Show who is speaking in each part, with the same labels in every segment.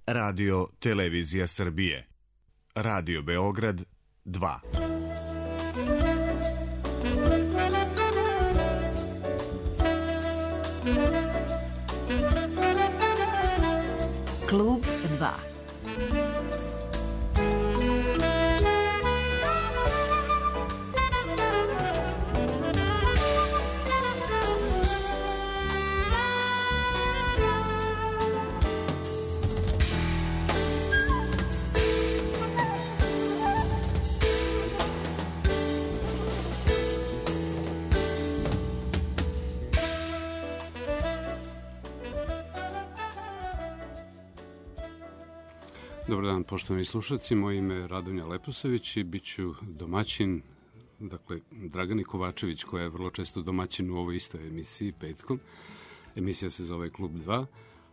Speaker 1: Radio Televizija Srbije. Radio Beograd 2.
Speaker 2: Klub 2.
Speaker 3: Dobar dan, poštovani slušalci. Moje ime je Radonja Leposavić i bit ću domaćin, dakle, Dragani Kovačević, koja je vrlo često domaćin u ovoj istoj emisiji, petkom. Emisija se zove Klub 2.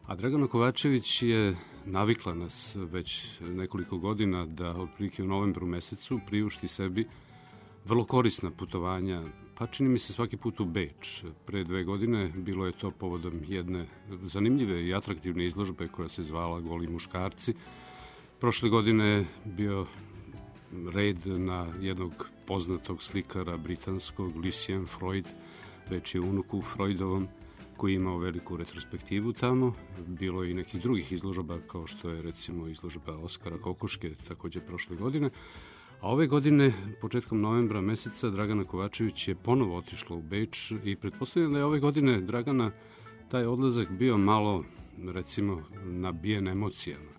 Speaker 3: A Dragana Kovačević je navikla nas već nekoliko godina da otprilike u novembru mesecu priušti sebi vrlo korisna putovanja, pa čini mi se svaki put u Beč. Pre 2 godine bilo je to povodom jedne zanimljive i atraktivne izložbe koja se zvala Goli muškarci. Prošle godine je bio red na jednog poznatog slikara britanskog, Lucien Freud, reč je o unuku Freudovom, koji je imao veliku retrospektivu tamo. Bilo je i nekih drugih izložba, kao što je recimo izložba Oskara Kokoške, takođe prošle godine. A ove godine, početkom novembra meseca, Dragana Kovačević je ponovo otišla u Beč i pretpostavljam da je ove godine Dragana taj odlazak bio malo, recimo, nabijen emocijama.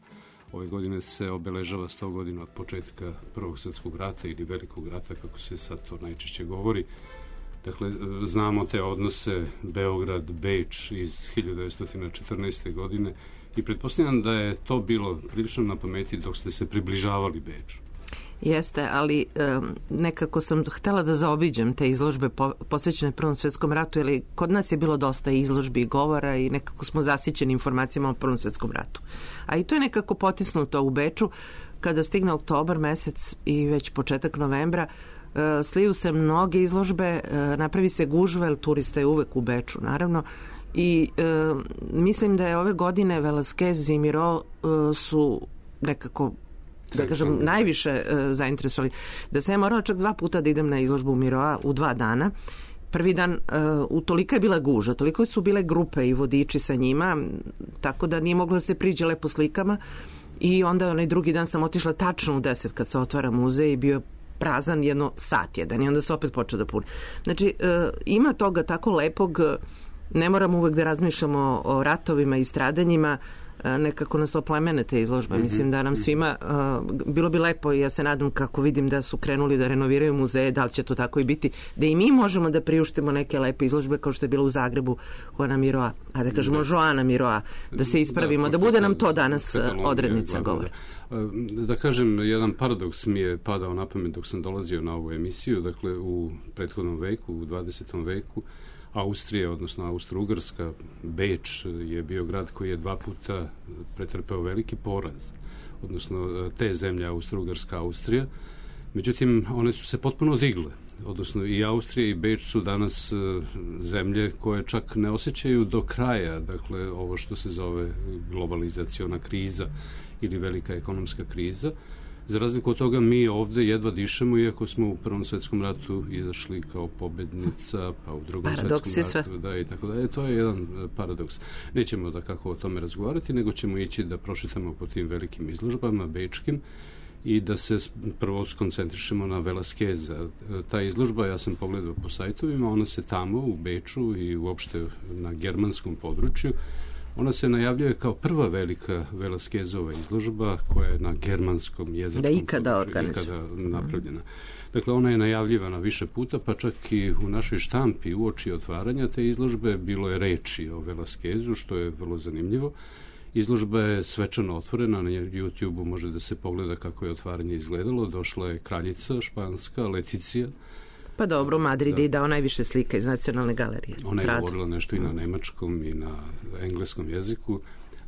Speaker 3: Ove godine se obeležava 100 godina od početka Prvog svjetskog rata ili Velikog rata, kako se sad to najčešće govori. Dakle, znamo te odnose Beograd-Beč iz 1914. godine i pretpostavljam da je to bilo prilično na pameti dok ste se približavali Beču.
Speaker 4: Jeste, ali nekako sam htela da zaobiđem te izložbe posvećene Prvom svjetskom ratu, jer kod nas je bilo dosta izložbi i govora i nekako smo zasićeni informacijama o Prvom svjetskom ratu. A i to je nekako potisnuto u Beču. Kada stigne oktobar mesec i već početak novembra, sliju se mnoge izložbe, napravi se gužva, jer turista je uvek u Beču, naravno, i mislim da je ove godine Velázquez i Miró su nekako, da kažem, najviše zainteresovali. Da sam ja morala čak 2 puta da idem na izložbu Miroa u 2 dana. Prvi dan tolika je bila guža, toliko su bile grupe i vodiči sa njima, tako da nije moglo da se priđe lepo slikama. I onda onaj drugi dan sam otišla tačno u 10 kad se otvara muzej i bio prazan jedno sat jedan i onda se opet počeo da puni. Znači, ima toga tako lepog, ne moramo uvek da razmišljamo o ratovima i stradanjima, nekako nas oplemene te izložbe. Mislim da nam svima bilo bi lepo i ja se nadam, kako vidim da su krenuli da renoviraju muzeje, da li će to tako i biti, da i mi možemo da priuštimo neke lepe izložbe kao što je bilo u Zagrebu Juana Miroa, a da kažemo Joana Miroa, da se ispravimo, da bude nam to danas odrednica govora.
Speaker 3: Da kažem, jedan paradoks mi je padao na pamet dok sam dolazio na ovu emisiju. Dakle, u prethodnom veku, u 20. veku, Austrija, odnosno Austro-Ugarska, Beč je bio grad koji je 2 puta pretrpeo veliki poraz, odnosno te zemlje Austro-Ugarska, Austrija. Međutim, one su se potpuno digle, odnosno i Austrija i Beč su danas zemlje koje čak ne osjećaju do kraja, dakle, ovo što se zove globalizaciona kriza ili velika ekonomska kriza. Za razliku od toga, mi ovde jedva dišemo, iako smo u Prvom svjetskom ratu izašli kao pobednica, pa u Drugom svjetskom ratu, da, i tako da. To je jedan paradoks. Nećemo da kako o tome razgovarati, nego ćemo ići da prošetamo po tim velikim izložbama, bečkim, i da se prvo skoncentrišemo na Velázqueza. Ta izložba, ja sam pogledao po sajtovima, ona se tamo u Beču i uopšte na germanskom području, ona se najavljuje kao prva velika Velázquezova izložba koja je na germanskom jezičkom
Speaker 4: da ikada
Speaker 3: napravljena. Dakle, ona je najavljivana više puta, pa čak i u našoj štampi uoči otvaranja te izložbe bilo je reči o Velázquezu, što je vrlo zanimljivo. Izložba je svečano otvorena, na YouTube-u može da se pogleda kako je otvaranje izgledalo. Došla je kraljica španska, Leticija.
Speaker 4: Pa dobro, Madrid je dao najviše slika iz Nacionalne galerije.
Speaker 3: Ona je govorila nešto i na nemačkom i na engleskom jeziku,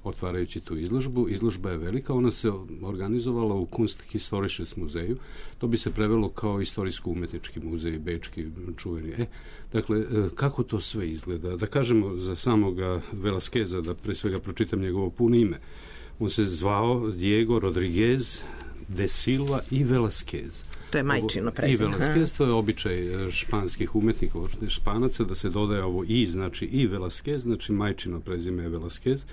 Speaker 3: otvarajući tu izložbu. Izložba je velika, ona se organizovala u Kunsthistorisches muzeju. To bi se prevelo kao istorijsko-umetnički muzej, bečki, čuveni. Dakle, kako to sve izgleda? Da kažemo za samoga Velázqueza, da pre svega pročitam njegovo puno ime. On se zvao Diego Rodriguez de Silva i Velasquez.
Speaker 4: To je majčino prezime.
Speaker 3: I Velasquez, to je običaj španskih umetnika, Španaca, da se dodaje ovo i, znači i Velasquez, znači majčino prezime je Velasquez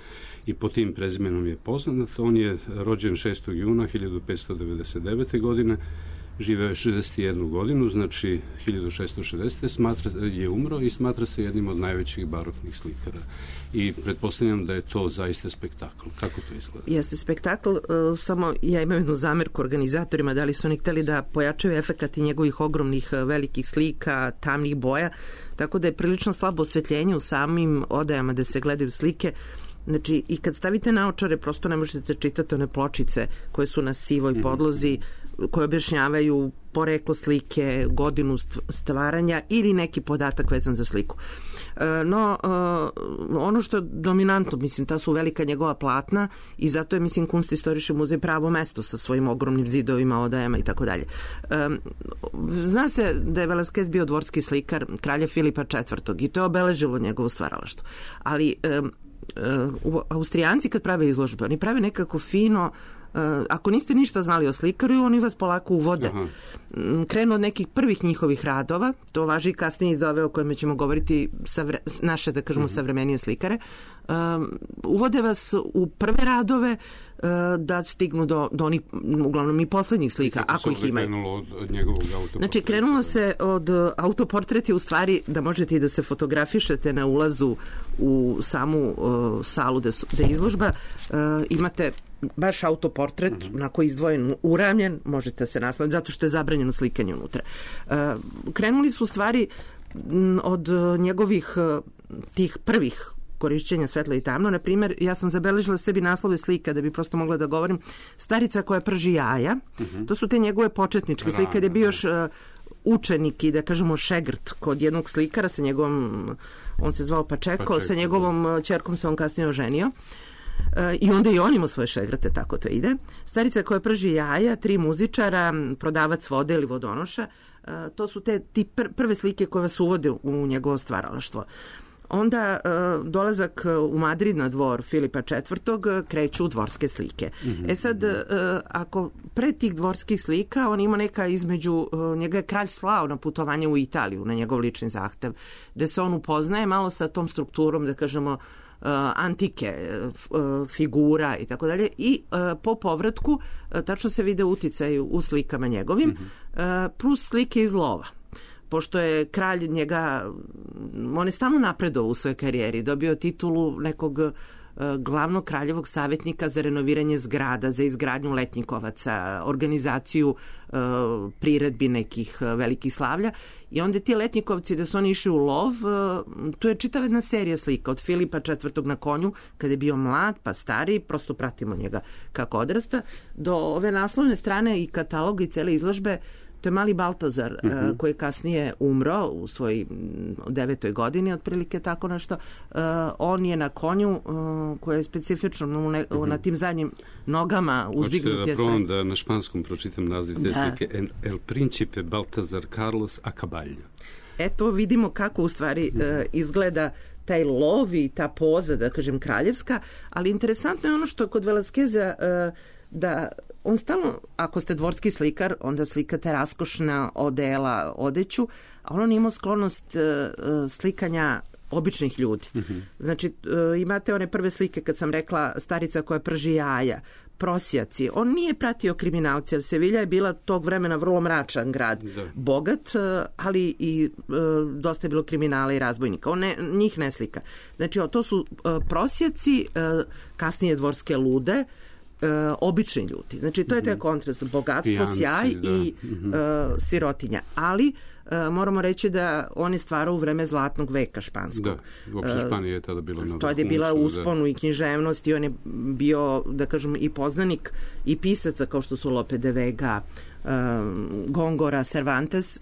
Speaker 3: i po tim prezimenom je poznat. On je rođen 6. juna 1599. godine, živeo je 61 godinu, znači 1660. Je umro i smatra se jednim od najvećih baroknih slikara. I pretpostavljam da je to zaista spektakl. Kako to izgleda?
Speaker 4: Jeste spektakl, samo ja imam jednu zamerku organizatorima, da li su oni hteli da pojačaju efekat i njegovih ogromnih velikih slika, tamnih boja, tako da je prilično slabo osvetljenje u samim odajama da se gledaju slike. Znači, i kad stavite naočare, prosto ne možete čitati one pločice koje su na sivoj podlozi, koje objašnjavaju poreklo slike, godinu stvaranja ili neki podatak vezan za sliku. No, ono što je dominantno, mislim, ta su velika njegova platna i zato je, mislim, Kunstistorische muzej pravo mesto sa svojim ogromnim zidovima, odajama i tako dalje. Zna se da je Velasquez bio dvorski slikar kralja Filipa IV. I to je obeležilo njegovo stvaralaštvo. Ali Austrijanci kad prave izložbe, oni prave nekako fino. Ako niste ništa znali o slikaru, oni vas polako uvode. Krenu od nekih prvih njihovih radova, to važi i kasnije iz ove o kojima ćemo govoriti naše, da kažemo, savremenije slikare. Uvode vas u prve radove da stignu do onih, uglavnom i poslednjih slika, ako ih imaju.
Speaker 3: Krenulo od njegovog autoportreta?
Speaker 4: Znači, krenulo se od autoportret je u stvari da možete i da se fotografišete na ulazu u samu salu da je izložba. Imate baš autoportret, onako izdvojen, uravnjen, možete se nasloviti, zato što je zabranjeno slikanje unutra. Krenuli su u stvari od njegovih tih prvih korišćenja svetla i tamno. Na primjer, ja sam zabeležila sebi naslove slika da bi prosto mogla da govorim. Starica koja prži jaja, to su te njegove početničke slike, gde je bio još učenik i, da kažemo, šegrt kod jednog slikara sa njegovom, on se zvao Pačeko, sa njegovom ćerkom se on kasnije oženio. I onda i on ima svoje šegrate, tako to ide. Starica koja prži jaja, 3 muzičara, prodavac vode ili vodonoša, to su te prve slike koje vas uvode u njegovo stvaralaštvo. Onda dolazak u Madrid na dvor Filipa IV. Kreću dvorske slike. Sad, ako pre tih dvorskih slika, on ima neka između, njega je kralj slao na putovanje u Italiju, na njegov lični zahtev, gde se on upoznaje malo sa tom strukturom, da kažemo, antike, figura i tako dalje, i po povratku tačno se vide uticaj u slikama njegovim, plus slike iz lova. Pošto je kralj njega, on je stalno napredovao u svojoj karijeri, dobio titulu nekog glavnog kraljevog savjetnika za renoviranje zgrada, za izgradnju letnjikovaca, organizaciju priredbi nekih velikih slavlja. I onda ti letnjikovci, da su oni išli u lov, tu je čitava jedna serija slika od Filipa IV. Na konju, kada je bio mlad, pa stariji, prosto pratimo njega kako odrasta, do ove naslovne strane i kataloga i cele izložbe. To je mali Baltazar, koji je kasnije umro u svojoj 9. godini, otprilike tako nešto. On je na konju, koji je specifično na tim zadnjim nogama uzdignut.
Speaker 3: Hoćete da probam da na španskom pročitam naziv te slike? El Principe Baltazar Carlos a caballo.
Speaker 4: Eto, vidimo kako u stvari izgleda taj lov i ta poza, da kažem, kraljevska, ali interesantno je ono što kod Velasqueza da on stalno, ako ste dvorski slikar, onda slikate raskošna odela, odeću, a on ima sklonost slikanja običnih ljudi. Znači, imate one prve slike, kad sam rekla, starica koja prži jaja, prosjaci. On nije pratio kriminalce, jer Sevilja je bila tog vremena vrlo mračan grad. Bogat, ali i dosta je bilo kriminala i razbojnika. On njih ne slika. Znači, to su prosjaci, kasnije dvorske lude, obični ljudi. Znači, to je taj kontrast, bogatstvo, pijanci, sjaj i sirotinja. Ali moramo reći da on je stvarao u vreme zlatnog veka španskog.
Speaker 3: Da, uopšte Španija je tada bila na vrhuncu.
Speaker 4: To je bila usponu i književnost i on je bio, da kažem, i poznanik i pisaca kao što su Lope de Vega, Gongora, Cervantes,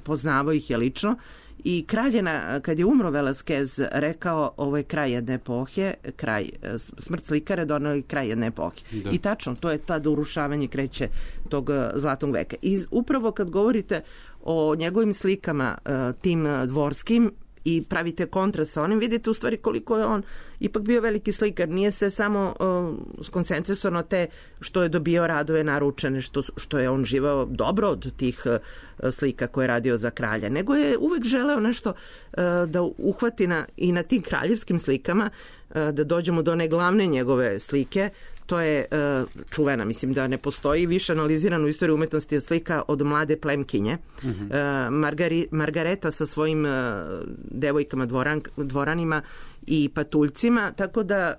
Speaker 4: poznavao ih je lično. I kralj je, kad je umro Velasquez, rekao, ovo je kraj jedne epohe, smrt slikara donao je kraj jedne epohe. Da. I tačno, to je tada urušavanje kreće tog zlatnog veka. I upravo kad govorite o njegovim slikama, tim dvorskim i pravite kontrast sa onim, vidite u stvari koliko je on ipak bio veliki slikar. Nije se samo skoncentrisao na te što je dobio radove naručene, što je on živao dobro od tih slika koje je radio za kralja, nego je uvek želeo nešto da uhvati i na tim kraljevskim slikama, da dođemo do one glavne njegove slike. To je čuvena, mislim da ne postoji više analizirana u istoriji umetnosti slika od mlade plemkinje. Margareta sa svojim devojkama, dvoranima i patuljcima, tako da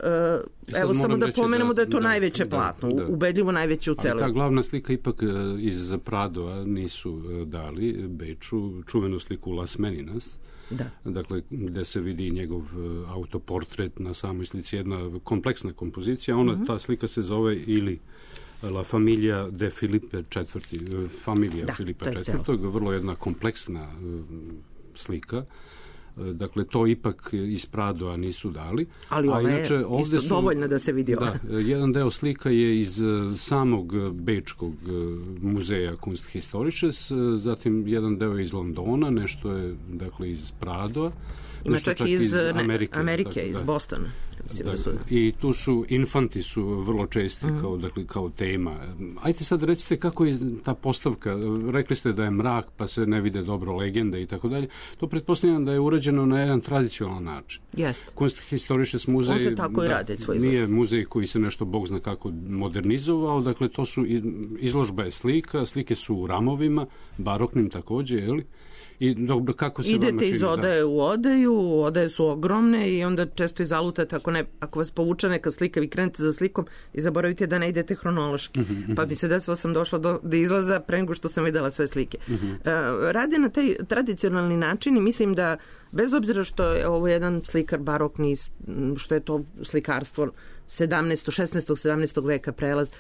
Speaker 4: evo samo da pomenemo da je to najveće platno, ubedljivo najveće u celoj.
Speaker 3: Ta glavna slika ipak iz Pradova nisu dali Beču, čuvenu sliku Las Meninas, dakle, gde se vidi njegov autoportret na samoj slici, jedna kompleksna kompozicija. Ta slika se zove ili La Familia de Filipe IV, familija Filipa IV, to je vrlo jedna kompleksna slika. Dakle, to ipak iz Pradova nisu dali.
Speaker 4: Ali ona je isto dovoljna da se vidi ova.
Speaker 3: Jedan deo slika je iz samog Bečkog muzeja Kunsthistorisches, zatim jedan deo iz Londona, nešto je dakle iz Pradova.
Speaker 4: Ima čak i iz Amerike, iz Bostona.
Speaker 3: I tu su infanti su vrlo česti kao tema. Ajde sad recite kako je ta postavka. Rekli ste da je mrak pa se ne vide dobro legende i tako dalje. To pretpostavljam da je urađeno na jedan tradicionalan način.
Speaker 4: Jeste.
Speaker 3: Kunsthistorisches muzej
Speaker 4: on se tako i radi svoj izložba.
Speaker 3: Nije muzej koji se nešto bog zna kako modernizovao. Dakle, to su izložba je slike su u ramovima, baroknim takođe, je li? I dobro, kako se
Speaker 4: idete iz odaje u odaju, odaje su ogromne i onda često izalutate, ako vas povuče neka slika, vi krenete za slikom i zaboravite da ne idete hronološki. Pa bi se desilo sam došla do izlaza pre nego što sam videla sve slike. Rade na taj tradicionalni način i mislim da bez obzira što je ovo jedan slikar barokni, što je to slikarstvo 17. veka prelaz,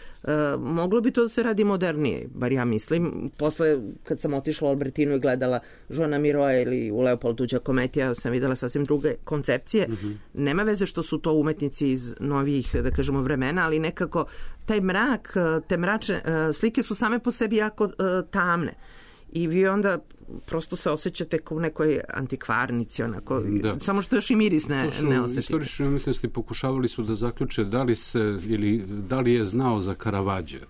Speaker 4: moglo bi to da se radi modernije, bar ja mislim. Posle, kad sam otišla u Albertinu i gledala Joana Miroa ili u Leopoldu Giacomettija, sam videla sasvim druge koncepcije. Nema veze što su to umetnici iz novijih, da kažemo, vremena, ali nekako taj mrak, te mračne slike su same po sebi jako tamne. I vi onda prosto se osjećate kao u nekoj antikvarnici, onako, samo što još i miris ne osjetite.
Speaker 3: Istorični umetnosti pokušavali su da zaključe da li je znao za Caravaggio.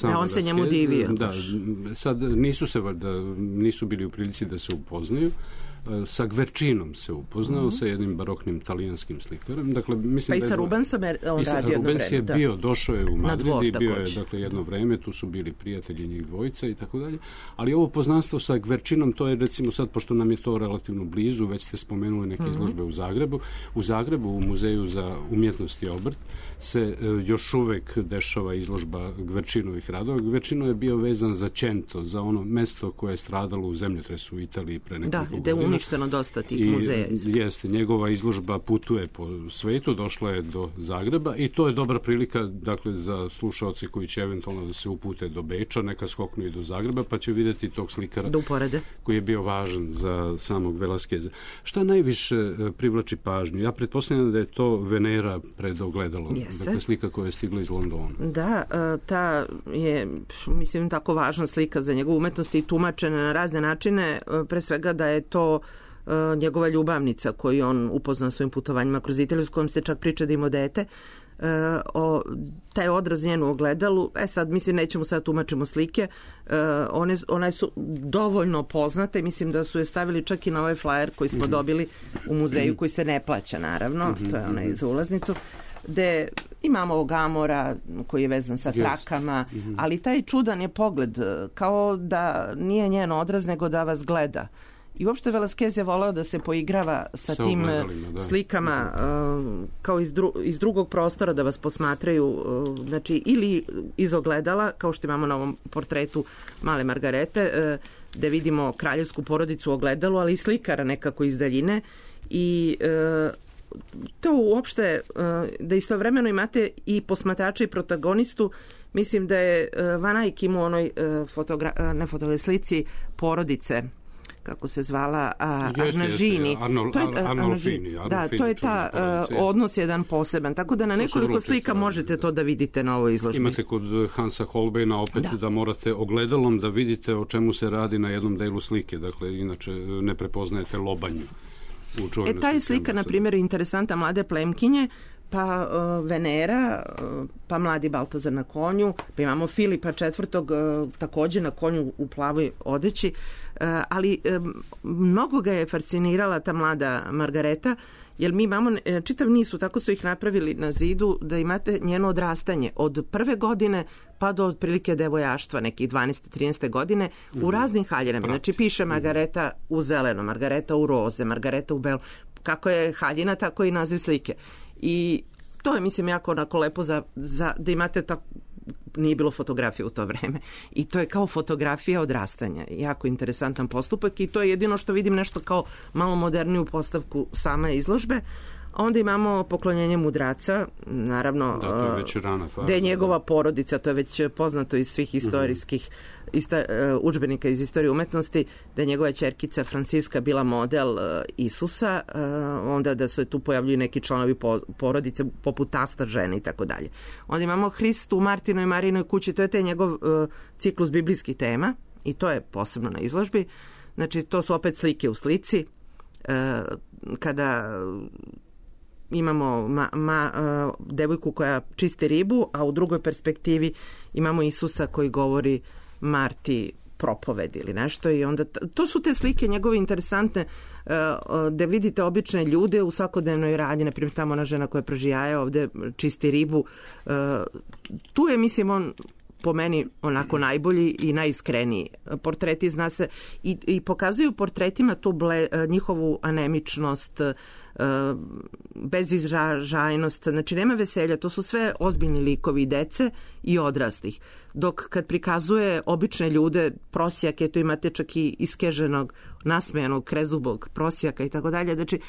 Speaker 4: Da, on se njemu divio.
Speaker 3: Sad nisu bili u prilici da se upoznaju. Sa Gverčinom se upoznao, sa jednim baroknim talijanskim slikarom. Dakle, mislim
Speaker 4: pa i sa Rubensom je on radio jedno vreme.
Speaker 3: Rubens je bio, došao je u Madrid i bio je jedno vreme, tu su bili prijatelji njih dvojica i tako dalje. Ali ovo poznanstvo sa Gverčinom, to je recimo sad, pošto nam je to relativno blizu, već ste spomenuli neke izložbe u Zagrebu. U Zagrebu, u Muzeju za umjetnost i obrt, se još uvek dešava izložba Gverčinovih radova. Gverčino je bio vezan za Cento, za ono mesto koje je stradalo u zemljotresu u Italiji pre nekoliko godina.
Speaker 4: Uništeno dosta tih muzeja.
Speaker 3: Jeste, njegova izložba putuje po svetu, došla je do Zagreba i to je dobra prilika, dakle, za slušaoce koji će eventualno da se upute do Beča, neka skoknu i do Zagreba, pa će vidjeti tog slikara koji je bio važan za samog Velasqueza. Šta najviše privlači pažnju? Ja pretpostavljam da je to Venera pred ogledalom. Dakle, slika koja je stigla iz Londona.
Speaker 4: Da, ta je, mislim, tako važna slika za njegovu umetnost i tumačena na razne načine, pre svega da je to njegova ljubavnica koju on upoznao svojim putovanjima kroz Italiju, s kojom se čak priča da ima dete. Taj odraz njenu ogledalu, sad mislim nećemo sad tumačimo slike, one su dovoljno poznate, mislim da su je stavili čak i na ovaj flyer koji smo dobili u muzeju koji se ne plaća naravno, to je onaj za ulaznicu, gde imamo ovog Amora koji je vezan sa trakama, ali taj čudan je pogled, kao da nije njen odraz nego da vas gleda. I uopšte Velasquez je voleo da se poigrava sa tim slikama kao iz drugog prostora, da vas posmatraju, znači ili iz ogledala, kao što imamo na ovom portretu Male Margarete, da vidimo kraljevsku porodicu u ogledalu, ali i slikara nekako iz daljine. I to uopšte, da istovremeno imate i posmatrača i protagonistu. Mislim da je Van Eyck imao onoj slici porodice, kako se zvala, Arnažini. To je ta odnos jedan poseban. Tako da na nekoliko slika možete to da vidite na ovoj izložbi.
Speaker 3: Imate kod Hansa Holbeina opet da morate ogledalom da vidite o čemu se radi na jednom delu slike. Dakle, inače ne prepoznajete lobanju. Ta
Speaker 4: je slika, na primjer, interesanta Mlade plemkinje, pa Venera, pa mladi Baltazar na konju, pa imamo Filipa IV. Takođe na konju u plavoj odeći, ali mnogo ga je fascinirala ta mlada Margareta, jer mi imamo čitav niz, tako su ih napravili na zidu, da imate njeno odrastanje od prve godine pa do otprilike devojaštva, nekih 12-13 godine, u raznim haljinama. Znači piše Margareta u zeleno, Margareta u roze, Margareta u belo. Kako je haljina, tako i naziv slike. I to je, mislim, jako onako lepo da imate tako, nije bilo fotografije u to vreme. I to je kao fotografija odrastanja. Jako interesantan postupak i to je jedino što vidim nešto kao malo moderniju postavku same izložbe. Onda imamo poklonjenje mudraca, naravno,
Speaker 3: to je već rana faza,
Speaker 4: gde je njegova porodica, to je već poznato iz svih istorijskih udžbenika iz istorije umetnosti, da je njegova ćerkica Franciska bila model Isusa, onda da se tu pojavljuju neki članovi porodice, poput tasta, žene i tako dalje. Onda imamo Hrist u Martinoj Marijinoj kući, to je taj njegov ciklus biblijskih tema i to je posebno na izložbi. Znači, to su opet slike u slici. Kada imamo devojku koja čisti ribu, a u drugoj perspektivi imamo Isusa koji govori Marti propoved ili nešto, i onda to su te slike njegove interesantne, da vidite obične ljude u svakodnevnoj radnji, na primjer tamo ona žena koja praži jaja, ovde čisti ribu. Tu je, mislim, on po meni onako najbolji i najiskreniji. Portreti, zna se, i pokazuju portretima tu njihovu anemičnost, bezizražajnost, znači nema veselja, to su sve ozbiljni likovi dece i odraslih. Dok kad prikazuje obične ljude, prosjake, to imate čak i iskeženog, nasmejanog, krezubog prosjaka i tako dalje, znači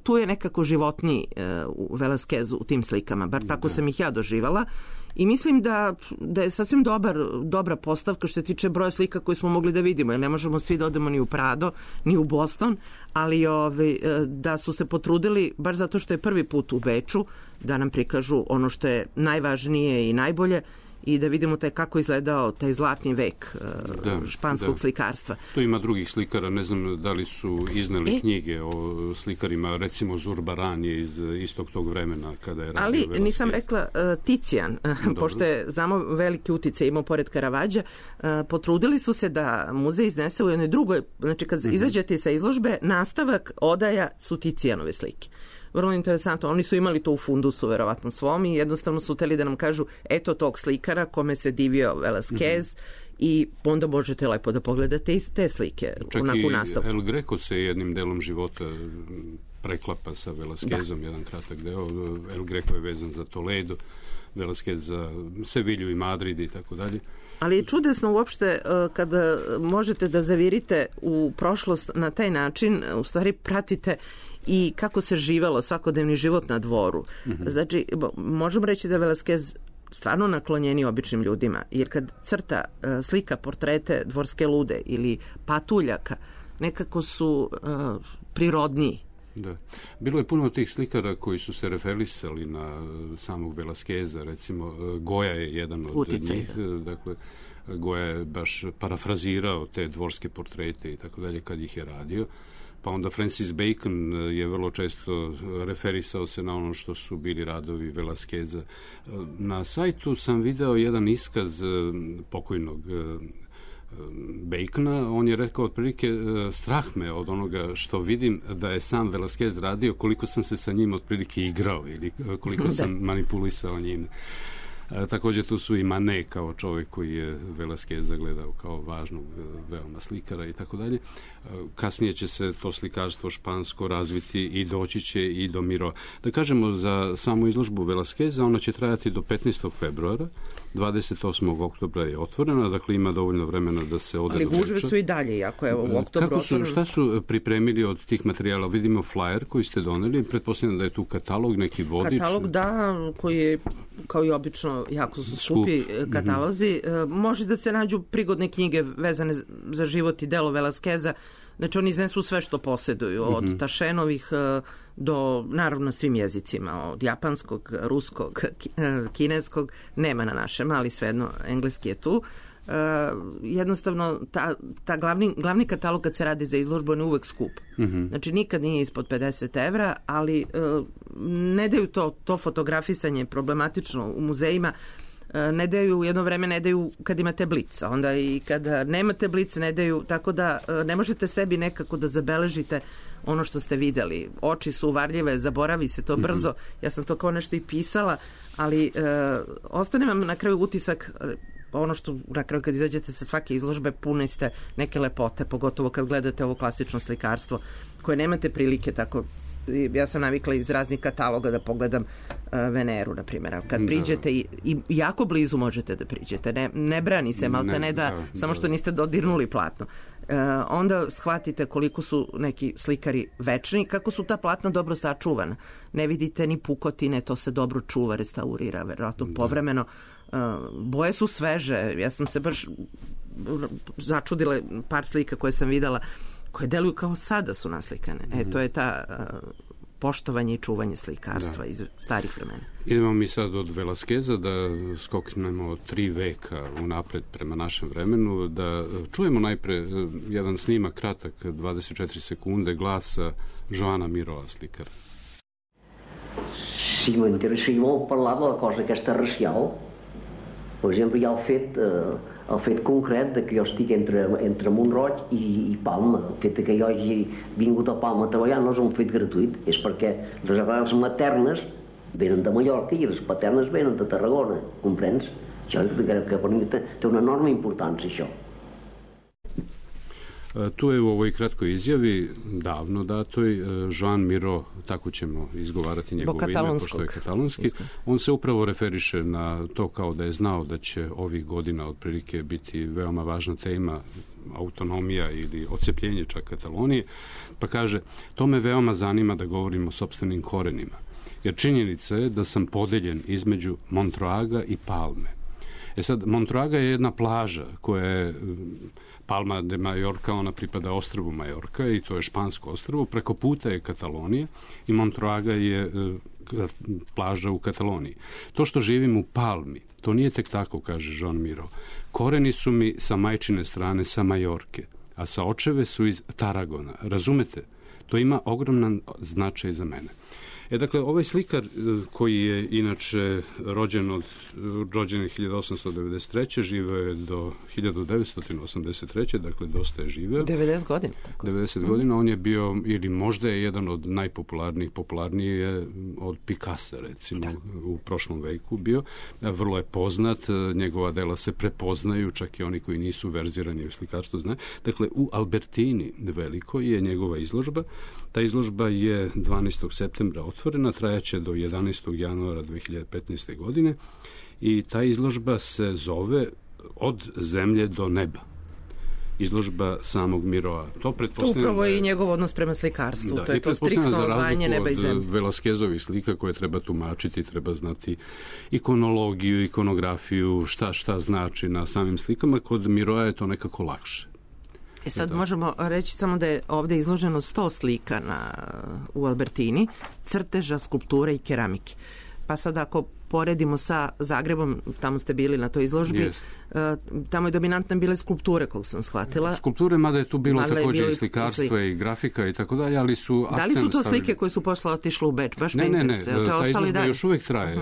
Speaker 4: tu je nekako životniji u Velasquezu u tim slikama, bar tako sam ih ja doživala. I mislim da je sasvim dobra postavka što se tiče broja slika koje smo mogli da vidimo, jer ne možemo svi da odemo ni u Prado, ni u Boston, ali da su se potrudili, baš zato što je prvi put u Beču, da nam prikažu ono što je najvažnije i najbolje, i da vidimo kako izgledao taj zlatni vek španskog slikarstva.
Speaker 3: To ima drugih slikara, ne znam da li su iznali knjige o slikarima, recimo Zurbaran je iz istog tog vremena kada je radio Velasquez.
Speaker 4: Ali nisam rekla Ticijan, pošto je, znamo, veliki uticaj imao pored Caravaggea, potrudili su se da muzej iznese u jednoj drugoj, znači kad izađete sa izložbe, nastavak odaja su Ticijanove slike. Vrlo interesantno, oni su imali to u fundusu verovatno svom i jednostavno su hteli da nam kažu eto tog slikara kome se divio Velasquez, i onda možete lepo da pogledate i te slike u nastavku.
Speaker 3: Čak i El Greco se jednim delom života preklapa sa Velasquezom, jedan kratak deo. El Greco je vezan za Toledo, Velasquez za Sevilju i Madrid i tako dalje.
Speaker 4: Ali je čudesno uopšte kada možete da zavirite u prošlost na taj način, u stvari pratite i kako se živelo svakodnevni život na dvoru. Znači, možemo reći da je Velasquez stvarno naklonjeni običnim ljudima, jer kad crta slika portrete dvorske lude ili patuljaka, nekako su prirodniji.
Speaker 3: Da. Bilo je puno tih slikara koji su se referisali na samog Velasqueza, recimo Goya je jedan od njih, dakle Goya je baš parafrazirao te dvorske portrete i tako dalje kad ih je radio. Pa onda Francis Bacon je vrlo često referisao se na ono što su bili radovi Velasqueza. Na sajtu sam video jedan iskaz pokojnog Bacona. On je rekao otprilike, strah me od onoga što vidim da je sam Velasquez radio, koliko sam se sa njim otprilike igrao ili koliko sam manipulisao njim. Također tu su i Manet kao čovjek koji je Velasquez zagledao kao važnog veoma slikara i tako dalje. Kasnije će se to slikarstvo špansko razviti i doći će i do Miro. Da kažemo za samu izložbu Velasqueza, ona će trajati do 15. februara, 28. oktobra je otvorena, dakle ima dovoljno vremena da se ode do Beča.
Speaker 4: Ali gužve su i dalje, jako je u oktobru otvoreno.
Speaker 3: Šta su pripremili od tih materijala? Vidimo flyer koji ste doneli, pretpostavljam da je tu katalog, neki vodič.
Speaker 4: Katalog, da, koji je, kao i obično, jako su skupi katalozi. Može da se nađu prigodne knjige vezane za život i delo Velasqueza. Znači, oni iznesu sve što posjeduju, od Tašenovih do, naravno, svim jezicima, od japanskog, ruskog, kineskog, nema na našem, ali svejedno, engleski je tu. jednostavno ta glavni katalog kad se radi za izložbu on je uvek skup. Znači nikad nije ispod 50 evra, ali ne daju to fotografisanje problematično u muzejima, ne daju, jedno vreme ne daju kad imate blic, onda i kada nemate blic ne daju, tako da ne možete sebi nekako da zabeležite ono što ste videli. Oči su uvarljive, zaboravi se to brzo. Ja sam to kao nešto i pisala, ali ostane vam na kraju utisak, ono što na kraju kad izađete sa svake izložbe puni ste neke lepote, pogotovo kad gledate ovo klasično slikarstvo koje nemate prilike tako. Ja sam navikla iz raznih kataloga da pogledam Veneru, na primjer. Kad priđete i jako blizu možete da priđete. Ne brani se, maltene samo što niste dodirnuli platno. Onda shvatite koliko su neki slikari večni, kako su ta platna dobro sačuvana. Ne vidite ni pukotine, to se dobro čuva, restaurira, verovatno povremeno. Boje su sveže. Ja sam se baš začudila par slika koje sam videla koje deluju kao sada su naslikane. To je ta poštovanje i čuvanje slikarstva iz starih vremena.
Speaker 3: Idemo mi sad od Velasqueza da skoknemo 3 veka unapred prema našem vremenu, da čujemo najpre jedan snimak kratak, 24 sekunde, glasa Joana Miroa, slikara.
Speaker 2: Si m'interessava parlar de la cosa aquesta racial. Per exemple, hi ha el fet concret de que jo estic entre Mont-roig i Palma. El fet que jo hagi vingut a Palma a treballar no és un fet gratuït, és perquè les arrels maternes venen de Mallorca i les paternes venen de Tarragona, comprens? Això que per mi té una enorme importància, això.
Speaker 3: Tu je u ovoj kratkoj izjavi, davno datoj, Joan Miró, tako ćemo izgovarati njegovo ime, pošto je katalonski, on se upravo referiše na to kao da je znao da će ovih godina otprilike biti veoma važna tema autonomija ili odcepljenje čak Katalonije, pa kaže, to me veoma zanima da govorim o sopstvenim korenima, jer činjenica je da sam podeljen između Montroaga i Palme. Sad, Montroaga je jedna plaža koja je Palma de Mallorca, ona pripada ostrvu Majorka i to je špansko ostrvo, preko puta je Katalonija i Montroaga je plaža u Kataloniji. To što živim u Palmi, to nije tek tako, kaže Joan Miró. Koreni su mi sa majčine strane sa Majorke, a sa očeve su iz Tarragona. Razumete? To ima ogroman značaj za mene. Dakle, ovaj slikar koji je inače rođen je 1893. živeo je do 1983. Dakle, dosta je živeo.
Speaker 4: 90 godina. Tako.
Speaker 3: 90 godina. On je bio, ili možda je jedan od popularniji je od Picassa, recimo, u prošlom veku bio. Vrlo je poznat, njegova dela se prepoznaju, čak i oni koji nisu verzirani u slikarstvu znaju. Dakle, u Albertini velikoj je njegova izložba. Ta izložba je 12. septembra otvorena, trajaće do 11. januara 2015. godine i ta izložba se zove Od zemlje do neba. Izložba samog Miroa. To
Speaker 4: upravo je i njegov odnos prema slikarstvu. To je to striktno odvajanje neba i zemlje.
Speaker 3: Od Velasquezovih slika koje treba tumačiti, treba znati ikonologiju, ikonografiju, šta znači na samim slikama. Kod Miroa je to nekako lakše.
Speaker 4: Sad možemo reći samo da je ovdje izloženo 100 slika u Albertini, crteža, skulpture i keramike. Pa sad ako poredimo sa Zagrebom, tamo ste bili na toj izložbi, tamo je dominantna bile skulpture, koliko sam shvatila.
Speaker 3: Skulpture, mada je tu bilo također i slikarstva i grafika i tako dalje, ali su akcent stavili. Da li su to slike koje
Speaker 4: su posle otišle u Beč? Baš
Speaker 3: ne, ta izložba još uvijek traje.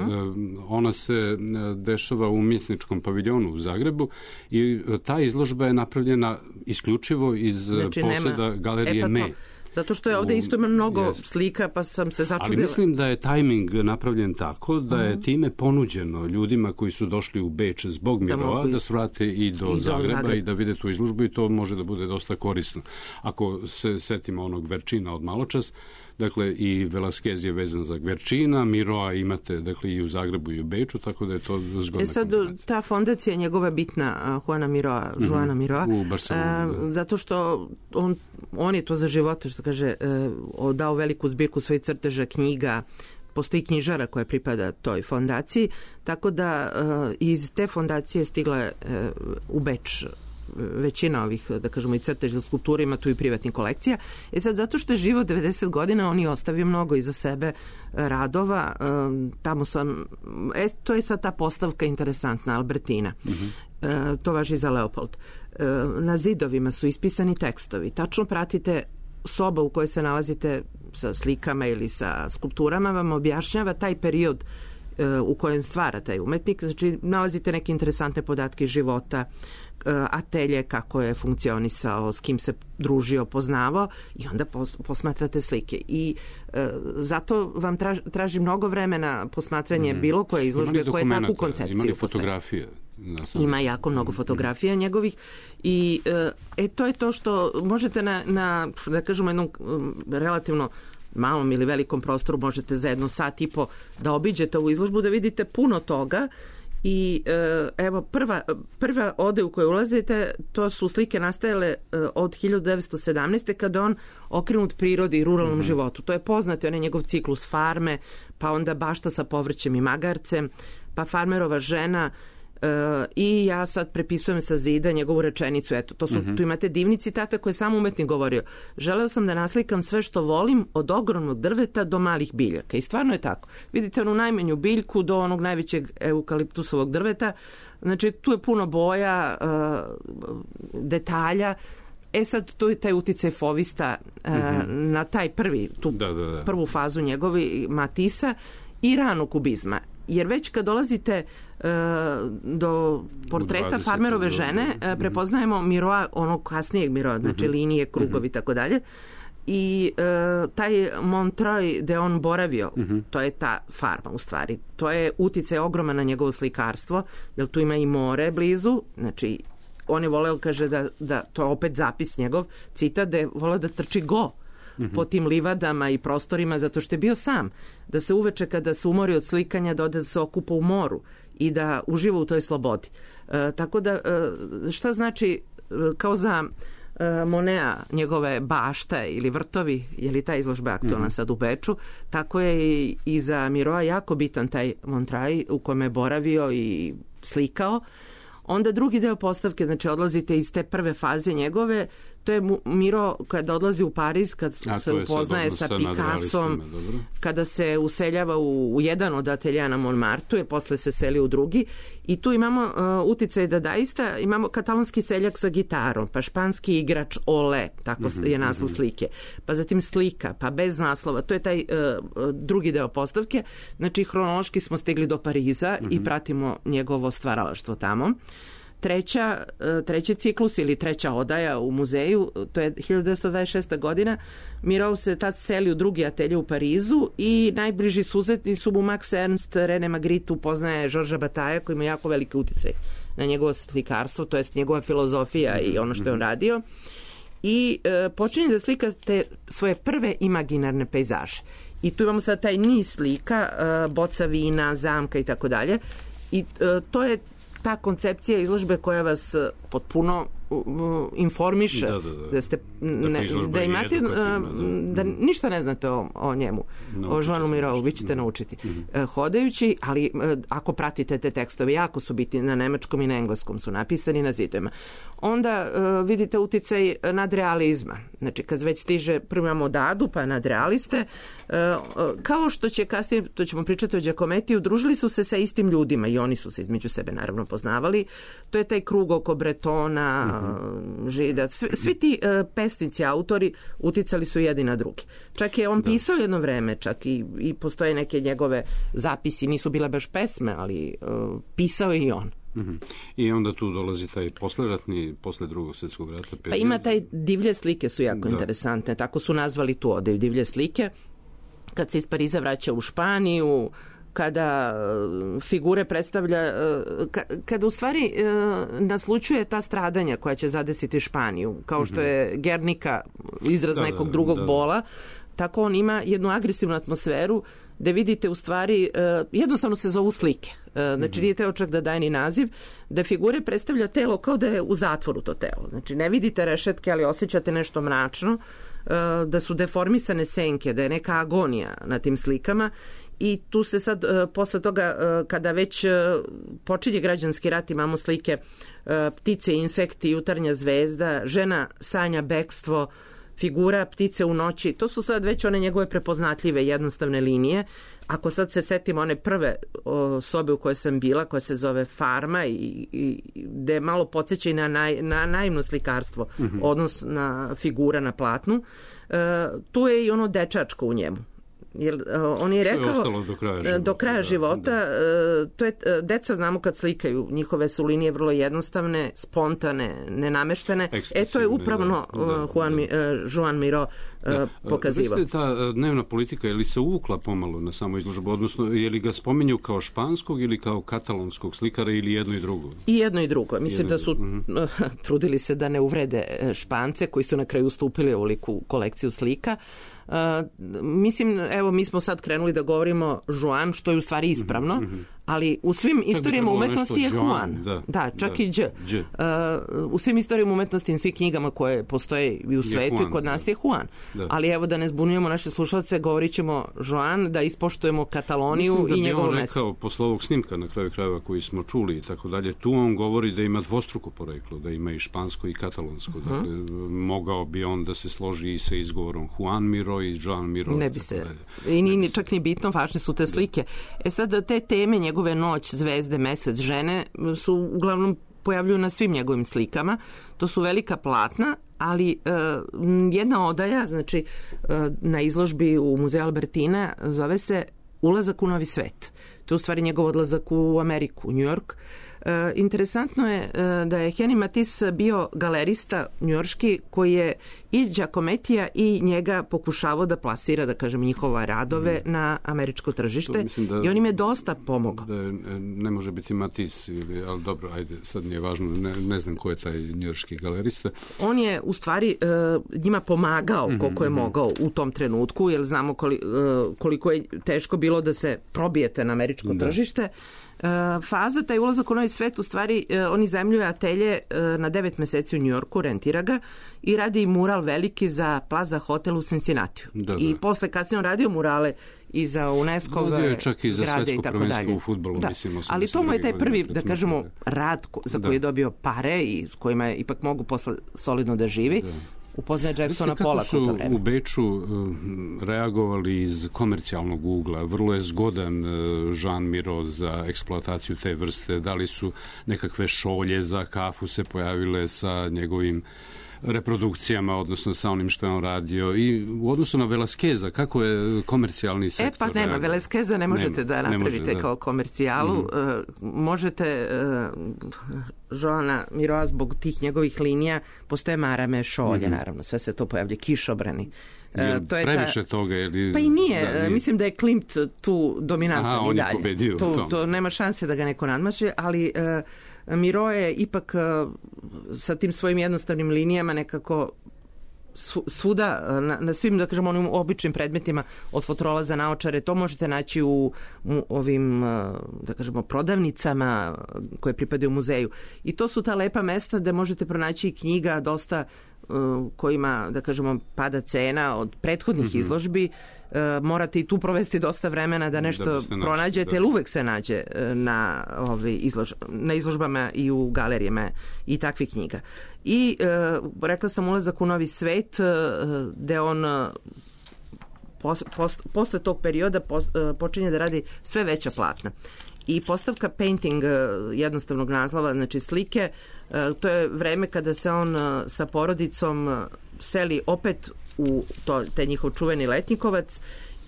Speaker 3: Ona se dešava u umjetničkom paviljonu u Zagrebu i ta izložba je napravljena isključivo iz poseda galerije Me.
Speaker 4: Zato što je ovdje isto ima mnogo slika, pa sam se začudila.
Speaker 3: Ali mislim da je tajming napravljen tako da je time ponuđeno ljudima koji su došli u Beč zbog Miroa da svrate i do Zagreba i da vide tu izložbu i to može da bude dosta korisno. Ako se setimo onog Verčina od maločas, dakle i Velasquez je vezan za Gverčina, Miroa imate dakle i u Zagrebu i u Beču, tako da je to zgodna
Speaker 4: sad kombinacija. Ta fondacija njegova bitna, Joana Miroa,
Speaker 3: u Barceloni.
Speaker 4: Zato što on je to za života, što kaže, dao veliku zbirku svojih crteža, knjiga, postoji knjižara koja pripada toj fondaciji, tako da iz te fondacije stigla u Beč većina ovih, da kažemo, i crteža skulptura ima tu i privatnih kolekcija. Sad, zato što je živo 90 godina, on je ostavio mnogo iza sebe radova. Tamo sam, to je sad ta postavka interesantna, Albertina. To važi za Leopold. Na zidovima su ispisani tekstovi. Tačno pratite soba u kojoj se nalazite sa slikama ili sa skulpturama, vam objašnjava taj period u kojem stvara taj umetnik. Znači, nalazite neke interesantne podatke iz života, atelje, kako je funkcionisao, s kim se družio, poznavao, i onda posmatrate slike. I zato vam traži mnogo vremena posmatranje bilo koje izložbe koje takvu koncepciju.
Speaker 3: Ima li fotografije?
Speaker 4: Ima jako mnogo fotografija njegovih i to je to što možete na da kažemo, jednom relativno malom ili velikom prostoru, možete za 1 sat i po da obiđete ovu izložbu, da vidite puno toga. I evo, prva ode u koju ulazite, to su slike nastajale od 1917. kada on okrenut prirodi i ruralnom životu. To je poznati, on je njegov ciklus farme, pa onda bašta sa povrćem i magarcem, pa farmerova žena, i ja sad prepisujem sa zida njegovu rečenicu. Eto, to su, tu imate divni citata koje je sam umetnik govorio. Želeo sam da naslikam sve što volim, od ogromnog drveta do malih biljaka. I stvarno je tako. Vidite onu najmanju biljku do onog najvećeg eukaliptusovog drveta. Znači, tu je puno boja, detalja. Sad, tu je taj uticaj Fauvista na taj prvu fazu njegovi Matisa i rano kubizma. Jer već kad dolazite do portreta farmerove žene, prepoznajemo Miroa, onog kasnijeg Miroa, znači linije, krugovi i tako dalje. I taj Montreuil gde on boravio, to je ta farma u stvari. To je uticaj ogroman na njegovo slikarstvo, jer tu ima i more blizu, znači on je voleo, kaže da to je opet zapis njegov, citat, da je voleo da trči po tim livadama i prostorima, zato što je bio sam. Da se uveče kada se umori od slikanja, da ode da se okupa u moru i da uživa u toj slobodi. Tako da, šta znači, kao za Monea, njegove bašta ili vrtovi, je li ta izložba aktualna sad u Beču, tako je i za Miroa jako bitan taj Montreuil u kojem je boravio i slikao. Onda drugi deo postavke, znači odlazite iz te prve faze njegove, to je Miro kada odlazi u Pariz, kad se upoznaje sa Picassom, kada se useljava u jedan od ateljeja na Montmartru, jer posle se seli u drugi. I tu imamo uticaj dadaista, imamo katalonski seljak sa gitarom, pa španski igrač Ole, tako je naslov slike, pa zatim slika, pa bez naslova. To je taj drugi deo postavke. Znači, hronološki smo stigli do Pariza i pratimo njegovo stvaralaštvo tamo. Treći ciklus ili treća odaja u muzeju, to je 1926. godina. Miro se tad seli u drugi atelje u Parizu i najbliži susretni su mu Max Ernst, René Magritte, upoznaje Georgesa Batailla, koji ima jako veliki uticaj na njegovo slikarstvo, to jest njegova filozofija i ono što je on radio. I počinje da slika te svoje prve imaginarne pejzaže. I tu imamo sad taj niz slika, boca vina, zamka i tako dalje. I to je ta koncepcija izložbe koja vas potpuno informiše, da imate, da ništa ne znate o njemu, o Joanu Mirovu, vi ćete naučiti hodajući, ali ako pratite te tekstove, jako su biti na nemačkom i na engleskom, su napisani na zidovima. Onda vidite uticaj nadrealizma. Znači, kad već stiže, prvo imamo Dadu, pa nadrealiste, kao što će kasnije, to ćemo pričati o Giacomettiju, družili su se sa istim ljudima i oni su se između sebe naravno poznavali. To je taj krug oko Bretona, Žida, svi ti pesnici, autori uticali su jedni na drugi. Čak je on pisao jedno vreme, čak i postoje neke njegove zapisi, nisu bile baš pesme, ali pisao je i on.
Speaker 3: I onda tu dolazi taj posleratni, posle Drugog svjetskog rata period.
Speaker 4: Pa ima taj divlje slike su jako interesantne, tako su nazvali tu odeju, divlje slike. Kad se iz Pariza vraća u Španiju, kada figure predstavlja, kada u stvari naslučuje ta stradanja koja će zadesiti Španiju, kao što je Guernica, izraz nekog drugog bola, tako on ima jednu agresivnu atmosferu gde vidite u stvari, jednostavno se zovu slike. Znači nije teo čak da daje ni naziv, da figure predstavlja telo kao da je u zatvoru to telo. Znači ne vidite rešetke, ali osjećate nešto mračno, da su deformisane senke, da je neka agonija na tim slikama I tu se sad, posle toga, kada već počinje građanski rat, imamo slike Ptice i insekti, Jutarnja zvezda, Žena sanja bekstvo, Figura ptice u noći. To su sad već one njegove prepoznatljive jednostavne linije. Ako sad se setimo one prve sobe u kojoj sam bila, koja se zove Farma i gde malo podsjeća i na naivno slikarstvo, odnos na figura na platnu, tu je i ono dečačko u njemu. Jer on je rekao do kraja života, to je, deca znamo kad slikaju, njihove su linije vrlo jednostavne, spontane, nenameštene. To je upravno Joan Miró pokazivao.
Speaker 3: Veste, ta dnevna politika, je li se uvukla pomalo na samo izložbu, odnosno je li ga spominju kao španskog ili kao katalonskog slikara ili jedno i drugo?
Speaker 4: I jedno i drugo. Mislim da su trudili se da ne uvrede Špance koji su na kraju ustupili ovoliku kolekciju slika. Mislim, evo, mi smo sad krenuli da govorimo Joan, što je u stvari ispravno, ali u svim istorijama umetnosti je Juan. Da, čak i Đ. U svim istorijama umetnosti i svim knjigama koje postoje i u svetu i kod nas je Juan. Ali evo, da ne zbunjujemo naše slušalce, govorit ćemo Joan, da ispoštujemo Kataloniju i njegovo mesto.
Speaker 3: Mislim da bi on rekao, posle ovog snimka na kraju krajeva koji smo čuli i tako dalje, tu on govori da ima dvostruko poreklo, da ima i špansko i katalonsko. Dakle, mogao bi on da se složi i sa izgovorom Juan Miró i Joan Miró.
Speaker 4: Ne bi se. I nije čak ni bitno, važne su te slike. Sad, te teme njegove Noć, zvezde, mesec, žene su uglavnom pojavljuju na svim njegovim slikama. To su velika platna, ali jedna odaja, znači na izložbi u Muzeju Albertina, zove se Ulazak u novi svet. To je u stvari njegov odlazak u Ameriku, u New York. Interesantno je da je Henri Matisse bio galerista njujorški koji je i Giacomettija i njega pokušavao da plasira, da kažem, njihova radove na američko tržište i on im je dosta pomogao.
Speaker 3: Da ne može biti Matisse, ali dobro, ajde, sad nije važno, ne znam ko je taj njujorški galerista.
Speaker 4: On je u stvari njima pomagao koliko je mogao u tom trenutku, jer znamo koliko je teško bilo da se probijete na američko tržište. Faza, taj ulazak u novi svet, u stvari on iznajmljuje atelje na 9 meseci u Njujorku, rentira ga i radi mural veliki za Plaza Hotel u Cincinnatiju. I posle kasnije on radio murale i za UNESCO-ve
Speaker 3: čak i za svetsko prvenstvo u fudbalu, mislim.
Speaker 4: Ali to mu je taj prvi, da kažemo, rad za koji je dobio pare i s kojima je ipak mogu posle solidno da živi. Upoznaje Jacksona Pollacka u to vreme.
Speaker 3: Kako su u Beču reagovali iz komercijalnog ugla? Vrlo je zgodan Joan Miró za eksploataciju te vrste. Da li su nekakve šolje za kafu se pojavile sa njegovim reprodukcijama, odnosno sa onim što je on radio, i u odnosu na Velasqueza, kako je komercijalni sektor?
Speaker 4: Pa nema, Velasqueza ne možete da napravite kao komercijalu. Možete Joana Miroa zbog tih njegovih linija, postoje marame, šolje, naravno, sve se to pojavlja, kišobrani.
Speaker 3: To je previše toga?
Speaker 4: Pa i nije. Mislim da je Klimt tu dominantan i dalje.
Speaker 3: On je pobedio u tom.
Speaker 4: To nema šanse da ga neko nadmaše, ali Miró je ipak sa tim svojim jednostavnim linijama nekako svuda, na svim, da kažemo, onim običnim predmetima, od fotrola za naočare, to možete naći u ovim, da kažemo, prodavnicama koje pripadaju muzeju. I to su ta lepa mesta gde možete pronaći knjiga dosta kojima, da kažemo, pada cena od prethodnih izložbi. Morate i tu provesti dosta vremena da nešto pronađete, jer uvek se nađe na izložbama i u galerijama i takvih knjiga. I rekla sam Ulazak u novi svet, gde on posle tog perioda počinje da radi sve veća platna. I postavka painting jednostavnog naslova, znači slike, to je vreme kada se on sa porodicom seli opet u taj njihov čuveni Letnjikovac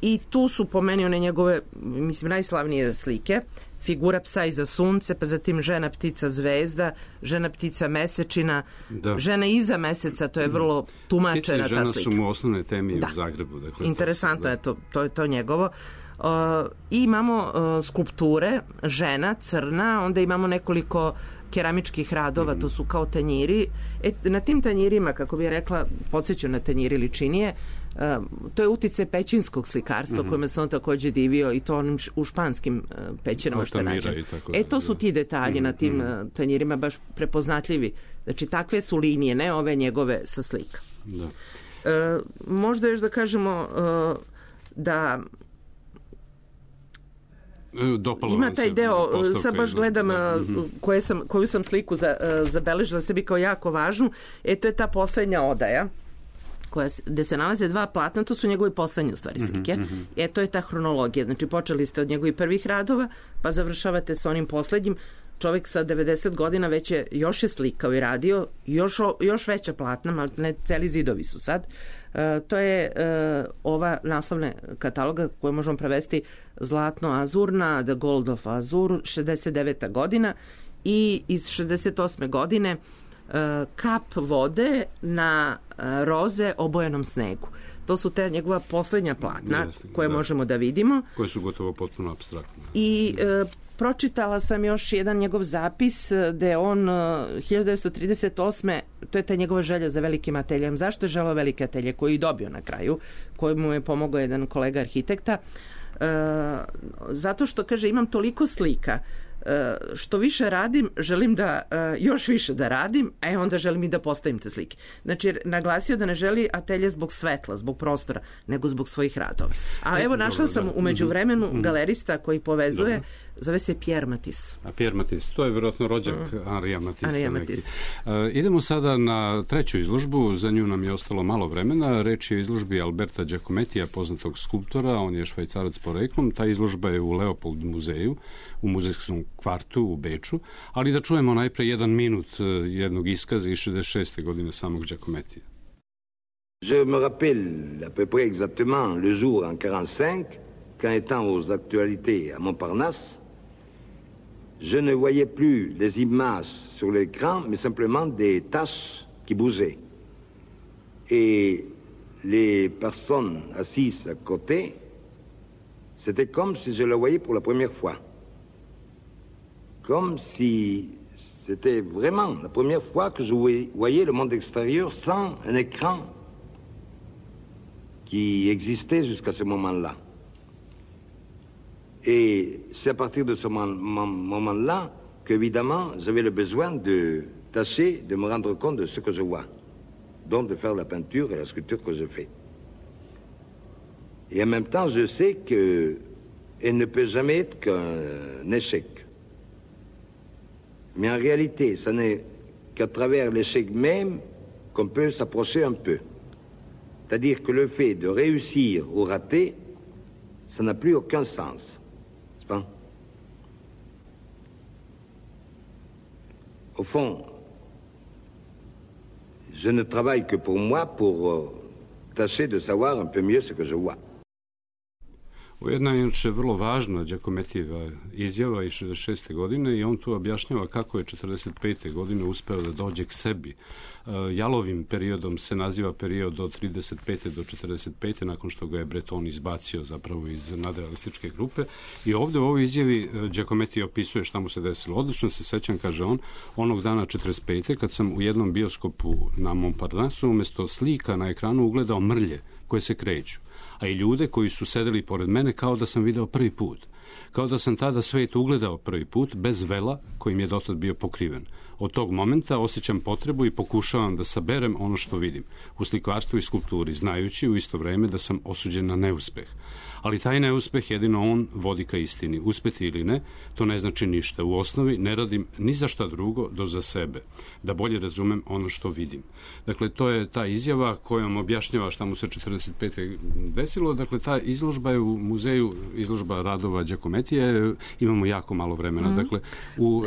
Speaker 4: i tu su po meni one njegove, mislim, najslavnije slike. Figura psa iza sunce, pa zatim Žena ptica zvezda, Žena ptica mesečina, Žena iza meseca, to je vrlo tumačena ta slika.
Speaker 3: Ptice i žena su mu osnovne teme u Zagrebu. Dakle,
Speaker 4: interesantno je to njegovo. I imamo skulpture, žena, crna, onda imamo nekoliko keramičkih radova, to su kao tanjiri. Na tim tanjirima, kako bih rekla, podsjećam na tanjiri ličinije, to je uticaj pećinskog slikarstva kojima se on takođe divio i to onim u španskim pećinama što je nađeno. To su ti detalji na tim tanjirima baš prepoznatljivi. Znači, takve su linije, ne ove njegove sa slika. Možda još da kažemo da Ima taj deo, sad baš gledam koju sam sliku zabeležila sebi kao jako važnu, to je ta poslednja odaja, gde se nalaze dva platna, to su njegove poslednje u stvari slike. To je ta hronologija, znači počeli ste od njegovih prvih radova, pa završavate sa onim poslednjim. Čovjek sa 90 godina već još je slikao i radio, još veća platna, ali ne celi zidovi su sad. To je ova naslovna kataloga koju možemo prevesti Zlatno-azurna, The Gold of Azur, 69. godina, i iz 68. godine Kap vode na roze obojenom snegu. To su te njegova poslednja platna koje možemo da vidimo.
Speaker 3: Koje su gotovo potpuno apstraktne.
Speaker 4: I pročitala sam još jedan njegov zapis gde on 1938. to je ta njegova želja za velikim ateljem. Zašto je želeo velike atelje koji je dobio na kraju, koji mu je pomogao jedan kolega arhitekta? Zato što, kaže, imam toliko slika, što više radim, želim da još više da radim, onda želim i da postavim te slike. Znači, naglasio da ne želi atelje zbog svetla, zbog prostora, nego zbog svojih radova. A evo, našla sam u međuvremenu galerista koji povezuje, zove se Pierre Matisse.
Speaker 3: A Pierre Matisse, to je vjerojatno rođak Henrija Matisse. Idemo sada na treću izložbu, za nju nam je ostalo malo vremena. Reč je o izložbi Alberta Giacomettija, poznatog skulptora, on je Švajcarac poreklom. Ta izložba je u Leopold muzeju, u muzejskom kvartu u Beču, ali da čujemo najpre jedan minut jednog iskaza iz 66. godine samog Giacomettija.
Speaker 5: Je me rappelle à peu près exactement le jour en 45, quand étant aux actualités à Montparnasse, je ne voyais plus les images sur l'écran, mais simplement des taches qui bougeaient. Et les personnes assises à côté, c'était comme si je le voyais pour la première fois. Comme si c'était vraiment la première fois que je voyais le monde extérieur sans un écran qui existait jusqu'à ce moment-là. Et c'est à partir de ce moment-là qu'évidemment j'avais le besoin de tâcher de me rendre compte de ce que je vois, donc de faire la peinture et la sculpture que je fais. Et en même temps, je sais qu'elle ne peut jamais être qu'un échec. Mais en réalité, ce n'est qu'à travers l'échec même qu'on peut s'approcher un peu. C'est-à-dire que le fait de réussir ou rater, ça n'a plus aucun sens. N'est-ce pas? Au fond, je ne travaille que pour moi, pour tâcher de savoir un peu mieux ce que je vois.
Speaker 3: Jedna je inače vrlo važna Giacomettijeva izjava iz 66. godine i on tu objašnjava kako je 45. godine uspeo da dođe k sebi. Jalovim periodom se naziva period od 35. do 45. nakon što ga je Breton izbacio zapravo iz nadrealističke grupe. I ovde u ovoj izjavi Giacometti opisuje šta mu se desilo. Odlično se sećam, kaže on, onog dana 45. kad sam u jednom bioskopu na Montparnassu umesto slika na ekranu ugledao mrlje koje se kreću, a i ljude koji su sedeli pored mene kao da sam video prvi put. Kao da sam tada svet ugledao prvi put, bez vela kojim je dotad bio pokriven. Od tog momenta osjećam potrebu i pokušavam da saberem ono što vidim u slikarstvu i skulpturi, znajući u isto vreme da sam osuđen na neuspeh. Ali taj neuspeh jedino on vodi ka istini. Uspeti ili ne, to ne znači ništa. U osnovi ne radim ni za šta drugo do za sebe, da bolje razumem ono što vidim. Dakle, to je ta izjava kojom objašnjava šta mu se 45. desilo. Dakle, ta izložba je u muzeju, izložba radova Giacomettija, imamo jako malo vremena. Dakle,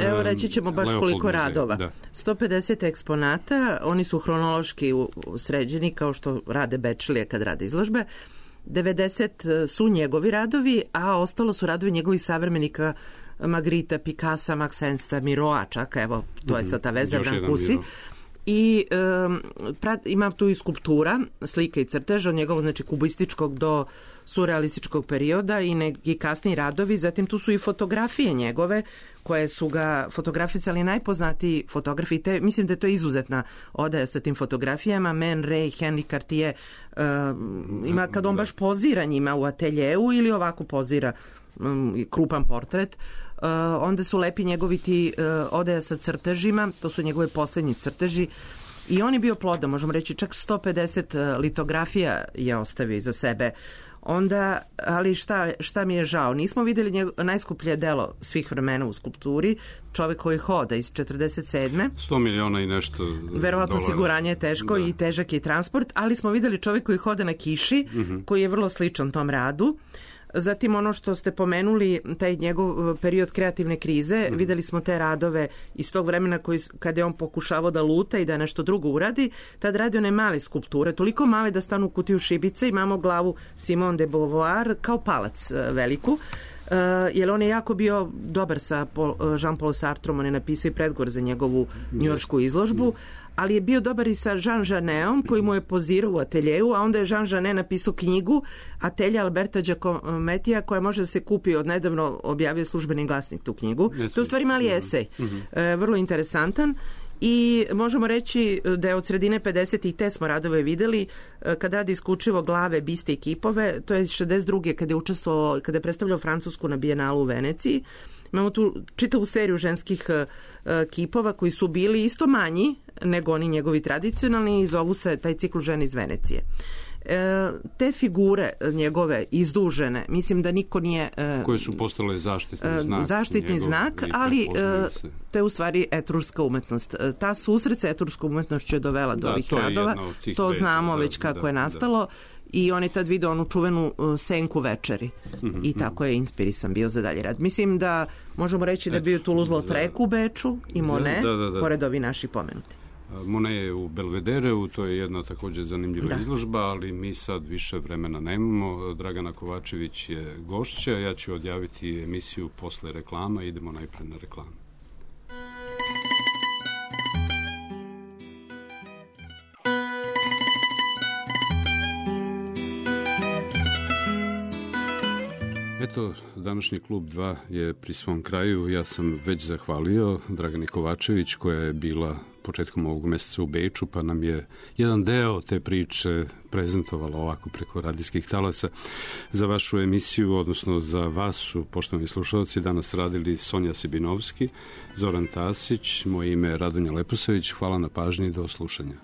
Speaker 4: evo reći ćemo baš
Speaker 3: Leopold
Speaker 4: koliko
Speaker 3: muzeju.
Speaker 4: radova.
Speaker 3: Da.
Speaker 4: 150 eksponata, oni su hronološki sređeni kao što rade Bečlije kad rade izložbe. 90 su njegovi radovi, a ostalo su radovi njegovih savremenika Magritta, Picassa, Max Ernsta, Miroa, čak, evo, to je sad ta veza Brancusi. I ima tu i skulptura, slika i crtež od njegovog, znači, kubističkog do surrealističkog perioda i neki kasniji radovi. Zatim tu su i fotografije njegove, koje su ga fotografisali najpoznatiji fotografi. Mislim da je to izuzetna odaja sa tim fotografijama. Man Ray, Henri Cartier, ima kad on baš pozira njima u ateljeu ili ovako pozira krupan portret. Onda su lepi njegovi ti odaja sa crtežima, to su njegove poslednji crteži. I on je bio plodan, možemo reći, čak 150 litografija je ostavio iza sebe. Onda, ali šta mi je žao, nismo vidjeli najskuplje delo svih vremena u skulpturi, Čovek koji hoda iz 47.
Speaker 3: 100 miliona i nešto
Speaker 4: verovatno
Speaker 3: dolara.
Speaker 4: Osiguranje je teško i težak je transport, ali smo vidjeli Čovek koji hoda na kiši, koji je vrlo sličan tom radu. Zatim ono što ste pomenuli, taj njegov period kreativne krize, videli smo te radove iz tog vremena kada je on pokušavao da luta i da nešto drugo uradi, tad radi one male skulpture, toliko male da stanu u kutiju šibice, imamo glavu Simone de Beauvoir kao palac veliku, jer on je jako bio dobar sa Jean-Paul Sartrom, on je napisao i predgovor za njegovu njujoršku izložbu, ali je bio dobar i sa Jean Genetom koji mu je pozirao u ateljeju, a onda je Jean Genet napisao knjigu Atelje Alberta Giacomettija koja može da se kupi, od nedavno objavio Službeni glasnik tu knjigu. To je u stvari mali esej, vrlo interesantan. I možemo reći da je od sredine 50. te smo radove videli kad radi isključivo glave, biste i kipove, to je 62. kada je predstavljao Francusku na Bijenalu u Veneciji. Imamo tu čitavu seriju ženskih kipova koji su bili isto manji nego oni njegovi tradicionalni i zovu se taj cikl žene iz Venecije. Te figure njegove izdužene, mislim da niko nije...
Speaker 3: Koje su postale zaštitni znak,
Speaker 4: ali to je u stvari etruška umetnost. Ta susret sa etruškom umetnošću je dovela do ovih radova. To znamo već kako je nastalo. I on je tad vidio onu čuvenu senku večeri i tako je inspirisan bio za dalje rad. Mislim da možemo reći da je bio Toulouse-Lautrec u Beču i Monet, pored ovi naši pomenuti.
Speaker 3: Monet je u Belvedereu, to je jedna također zanimljiva izložba, ali mi sad više vremena nemamo. Dragana Kovačević je gošća, ja ću odjaviti emisiju posle reklama, idemo najpred na reklamu. Eto, današnji klub 2 je pri svom kraju. Ja sam već zahvalio Dragani Kovačević koja je bila početkom ovog meseca u Beču, pa nam je jedan deo te priče prezentovala ovako preko radijskih talasa. Za vašu emisiju, odnosno za vas su, poštovani slušalci, danas radili Sonja Sibinovski, Zoran Tasić, moje ime je Radonja Leposavić. Hvala na pažnji, do slušanja.